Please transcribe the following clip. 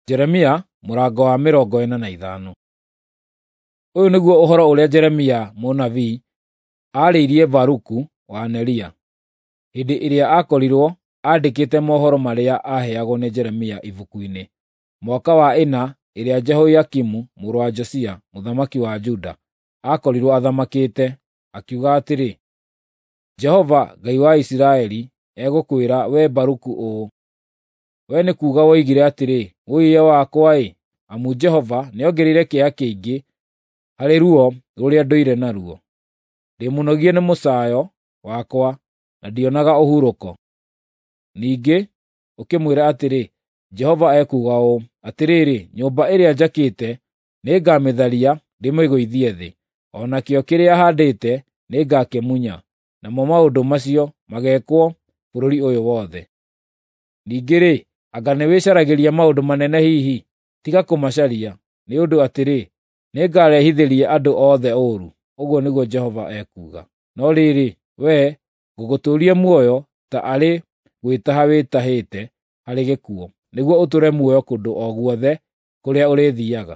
Jeremia mũrango wa 45. Ũyũ nĩguo ũhoro ũrĩa Jeremia mũnabii aarĩirie Baruku wa Neria, hĩndĩ ĩrĩa aakorirwo andĩkĩte mohoro marĩa aaheagwo nĩ Jeremia ibuku-inĩ, mwaka wa ĩna ĩrĩa Jehoiakimu mũrũ wa Josia mũthamaki wa Juda aakorirwo athamakĩte, akiuga atĩrĩ, “Jehova, Ngai wa Isiraeli, egũkwĩra wee Baruku ũũ: Wee nĩ kuuga woigire atĩrĩ, ‘Wũi-ĩiya-wakwa-ĩ! Amu Jehova nĩongereire kĩeha kĩingĩ harĩ ruo rũrĩa ndũire naruo. Ndĩ mũnogie nĩ mũcaayo wakwa, na ndionaga ũhurũko.’ Ningĩ ũkĩmwĩra atĩrĩ, ‘Jehova ekuuga ũũ: Atĩrĩrĩ, nyũmba ĩrĩa njakĩte nĩngamĩtharia ndĩmĩgũithie thĩ, o nakĩo kĩrĩa haandĩte nĩngakĩmunya, namo maũndũ macio mageekwo bũrũri ũyũ wothe. Ningĩ-rĩ, anga nĩwĩcaragĩria maũndũ manene hihi? Tiga kũmacaria, nĩ ũndũ atĩrĩ, nĩngarehithĩria andũ othe ũũru, ũguo nĩguo Jehova ekuuga. No rĩrĩ, wee, ngũgũtũũria muoyo ta arĩ gwĩtaha wĩtahĩte harĩ gĩkuũ, nĩguo ũtũũre muoyo kũndũ o guothe kũrĩa ũrĩthiiaga.